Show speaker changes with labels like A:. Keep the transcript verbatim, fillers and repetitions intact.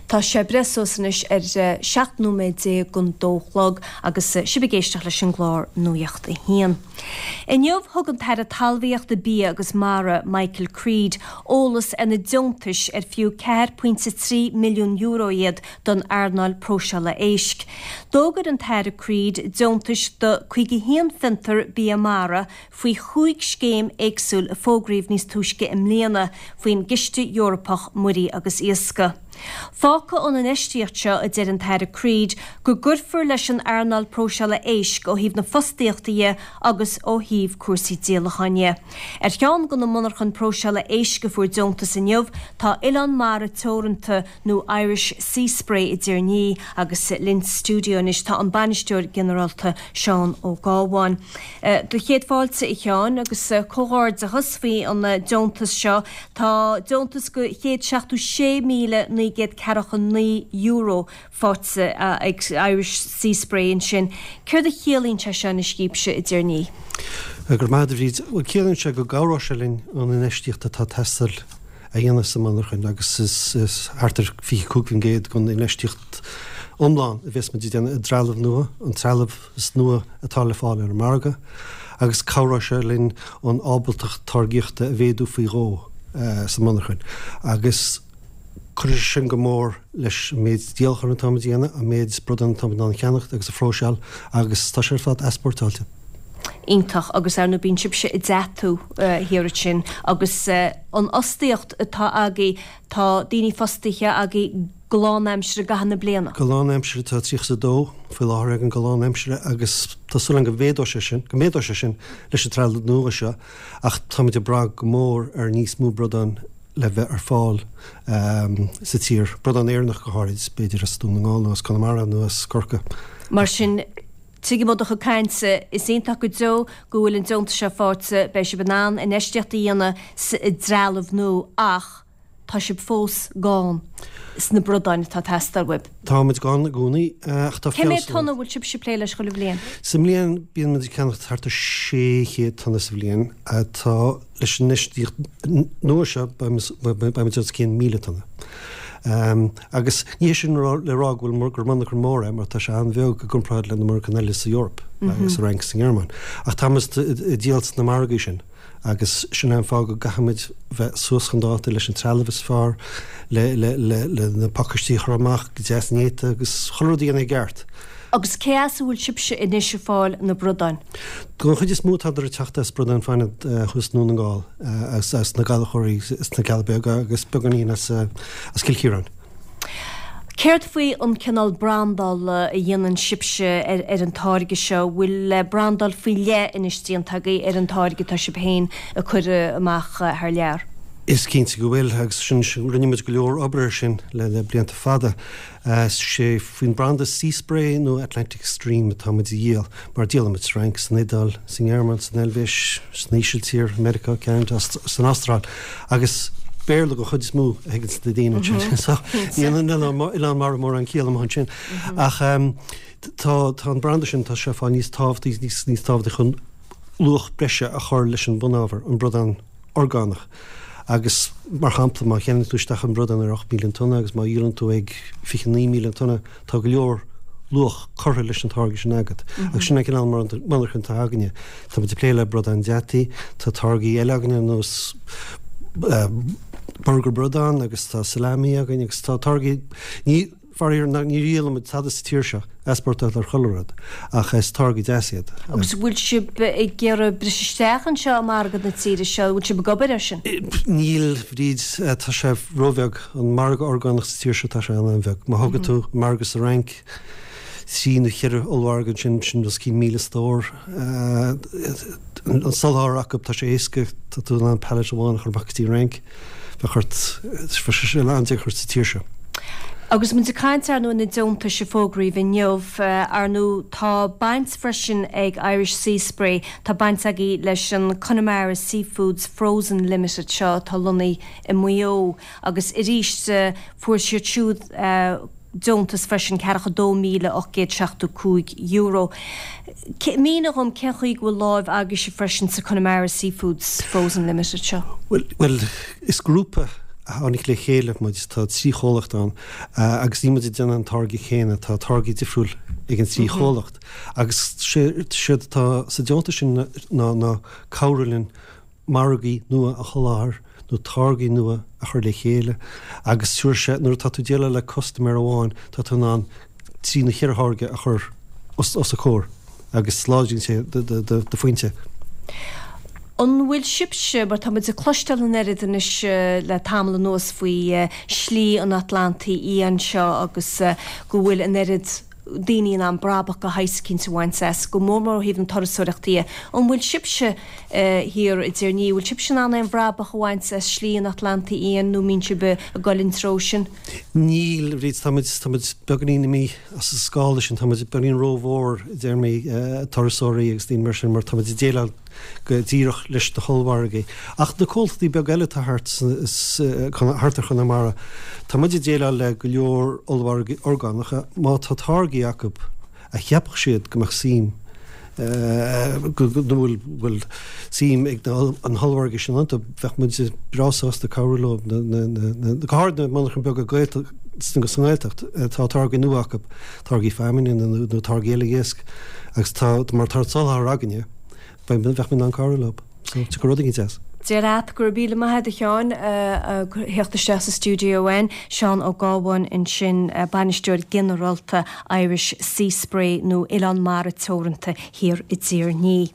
A: Tá sé breis suas anois ar seacht nóiméad déag don dó a chlog agus sibh ag éisteacht leis an gclár Nuacht a hAon. Inniu thug an tAire Talmhaíochta Bia agus Mara Michael Creed eolas ar na deontais ar fiú ceathair pointe trí milliún euro iad don earnáil próiseála éisc. D'fhógair an tAire Creed deontais do caoga haon fiontar bia mara faoi chúig scéim éagsúil a fógraíodh níos túisce i mbliana faoin gCiste Eorpach Muirí agus Iascaigh. Fágfaidh an infheistíocht seo a deir an tAire Creed go gcuirfear leis an earnáil próiseála éisc ó thaobh na fostaíochta dhe agus ó thaobh cúrsaí díolacháin dhe. Ar cheann de na monarchana próiseála éisc a fuair deontas inniu tá Oileán Mara Teoranta nó Irish Sea Spray i dTír an Fhia agus linn sa stiúideo anois tá an bainisteoir ginearálta Seán Ó Gábháin. Do chéad fáilte a Sheáin agus comhghairdeachas faoi an deontas seo tá deontas go céad seachtó sé míle naoi gcéad ceathracha naoi euro faighte ag Irish Sea Spray ansin. Céard a chiallaíonn sé seo anois daoibhse i dTír an Fhia?
B: Go raibh maith agat a Bhríd, bhuel ciallaíonn sé go gcabhróidh sé linn an infheistíocht atá ag teastáil a dhéanamh sa mhonarchain agus is is thart ar fiche cúig faoin gcéad den infheistíocht iomlán a bheas muid ag déanamh i dtrealamh nua, an trealamh is nua atá le fáil ar an margadh agus cabhróidh sé linn an ábaltacht táirgíochta a mhéadú faoi dhó sa mhonarchain agus cuirfidh sé sin go mór leis an méid díolacháin atá muid a dhéanamh, an méid bradán atá muid in ann a cheannacht agus a phróiseáil agus tá sé ar fad easpórtáilte.
A: Iontach agus ar ndóigh bíonn sibhse i dtatú thiar ansin agus an fhostaíocht atá agaibh, tá daoine fostaithe agaibh go lánaimseartha i gcaitheamh na bliana.
B: Go lánaimseartha tá tríocha is a dó faoi láthair againn go lánaimseartha agus tá súil againn go mhéadóidh sé sin, go méadóidh sé sin leis an trealamh nua seo ach táimid ag brath go mór ar níos mó bradán le bheith ar fáil sa tír, bradán Éireannach go háirid, b'fhéidir as Dún na nGall nó as Conamara nó as Corcaigh.
A: Mar sin, tuigim ó do chuid cainte, is iontach go deo go bhfuil an deontas seo faighte, beidh sibh in ann infheistíocht a dhéanamh sa dtrealamh nua ach tá sibh fós gann sna bradáin atá ag teastáil uaibh.
B: Tá muid gann i gcónaí ach tá
A: Cé mhéad tonna a bhfuil sibhse ag plé leis chuile bhliain?
B: Sa mbliain bíonn muid ag ceannacht thart ar sé chéad tonna sa bhliain. Tá leis an infheistíocht nua seo beidh muid os cionn míle tonna. Agus ní hé sin le rá go bhfuil gur monarcha mór é mar tá sé an-bheag i gcomparáid le na monarchana eile sa Eoraip, sa Fhrainc, sa nGearmáin. Ach tá muid ag díol sna margaí sin. Agus sin é an fáth go gcaithfimid bheith suas chun dáta leis an trealamh is fearr, le le na pacáistí a chur amach go deas néata agus chuile rud a dhéanamh i gceart.
A: Agus cé as a bhfuil sibhse anois ag fáil na bradáin?
B: Don chuid is mó tádar ag teacht as Bradán Fine thuas i nDún na nGall, as as na Gallchóirí sna Cealla Beaga agus beagáinín as as Cill Chiaráin.
A: Céard faoi an cineál brandála a dhéanann sibhse ar ar an táirge seo? Bhfuil brandáil faoi leith anois déanta agaibh ar an táirge atá sibh féin ag cur amach thar lear?
B: Is cinnte go bhfuil agus sin rinne muid go leor obair ar sin le le blianta fada. Is é faoin branda Sea Spray nó Atlantic Stream atá muid a dhíol mar díolaimid sa Fhrainc, san Iodáil, sa nGearmáin, san Eilvéis, san Ísiltír, Meiriceá, Ceanada, san Astráil agus Béarla den chuid is mó a thuigeanns na daoine ansin. So níl an Oileán Mara mórán ciall amuigh ansin. Ach tá tá an branda sin tá sé ag fáil níos tábhachtaí níos níos tábhachtaí chun luach breise a chur leis an bunábhar, an bradán orgánach. Agus mar shampla má cheannaíonn tú isteach an bradán ar ocht míle an tonna agus má dhíolann tú ag fiche naoi míle an tonna, tá go leor luach curtha leis an táirge sin agat. Agus sin an cineál monarchan atá againne. Tá muid ag plé le bradán deataí, tá táirgí eile againne ar nós burgar bradán agus tá salami againn agus tá táirgí ní faraor ní dhíolann muid tada sa tír seo, easpórtáil ar chuile rud, ach is táirgí deas iad.
A: Agus bhfuil sibh ag iarraidh briseadh isteach anseo i margadh na tíre seo, bhfuil sibh ag obair air sin?
B: Níl, Bríd, tá sé róbheag, an margadh orgánach sa tír seo tá sé an-bheag. Má thógann tú margadh sa Fhrainc, trí nó cheithre ollmhargadh ansin, sin os cionn míle stór. An soláthar acu, tá sé éasca, tá tú in ann pallet amháin a chur amach go dtí an Fhrainc, bheadh ort, bheadh sé an-deacair sa tír seo.
A: Agus muid ag caint ar ndóigh na deontais a fógraíodh inniu, ar ndóigh tá baint freisin ag Irish Sea Spray, tá baint agaibh leis an Connemara Seafoods Frozen Limited seo atá lonnaithe i Maigh Eo agus arís fuair siad siúd deontas freisin, ceathracha dó míle ocht gcéad seachtó cúig euro. Mínigh dhom cén chaoi go bhfuil láimh agaibhse freisin sa Connemara Seafoods Frozen Limited seo?
B: Bhuel, is grúpa tháinig le chéile muid, tá trí chomhlacht ann agus níl muid ag déanamh an táirge chéanna, tá táirgí difriúil ag an trí chomhlacht. Agus séard atá sa deontas sin ná ná cabhrú linn margaí nua a sholáthar nó táirgí nua a chur le chéile agus tabharfaidh sé nuair atá tú ag déileáil le custaiméir amháin tá tú in ann trí nó ceithre tháirge a chur os a chomhair agus láidríonn sé do phointe.
A: An bhfuil sibhse, mar tá muid ag cloisteáil an oiread anois le tamall anuas faoi Shlí an Atlantaigh Fhiáin seo agus go bhfuil an oiread daoine in ann brabach de shaghas eicínt a bhaint as, go mór mór ó thaobh na turasóireachta dhe. An bhfuil sibhse thiar i dTír an Fhia, bhfuil sibhse in ann aon bhrabach a bhaint as Slí an Atlantaigh Fhiáin nó mbíonn sibh ag dul an treo sin?
B: Níl, a Bhríd, tá muid, tá muid beagáinín imithe as an scála sin, tá muid beagáinín rómhór i dtéarmaí turasóirí agus daoine mar sin mar tá muid ag déileáil go díreach leis na hollmhargaí. Ach na comhlachtaí beaga eile atá thart thart ar Chonamara, tá muid ag déileáil le go leor ollmhargaí orgánacha, má tá táirgí acu a cheapfadh siad go mbeadh suim go bhfuil bhfuil suim ag na hollmhargaí sin iontu, bheadh muid breá sásta cabhrú leo, go háirid na monarchana beaga Gaeltacht sa nGaeltacht, tá táirgí nua acu, táirgí feamainne nó táirgí eile iasc agus tá mar tá an soláthar againne. Bheadh muid in ann cabhrú leo. So, tiocfaidh rud éigin as.
A: Deir leat go raibh míle maith agat a Sheáin a theacht isteach sa stiúideo againn. Seán Ó Gábháin ansin, Bainisteoir Ginearálta Irish Sea Spray nó Oileán Mara Teoranta thiar i dTír an Fhia.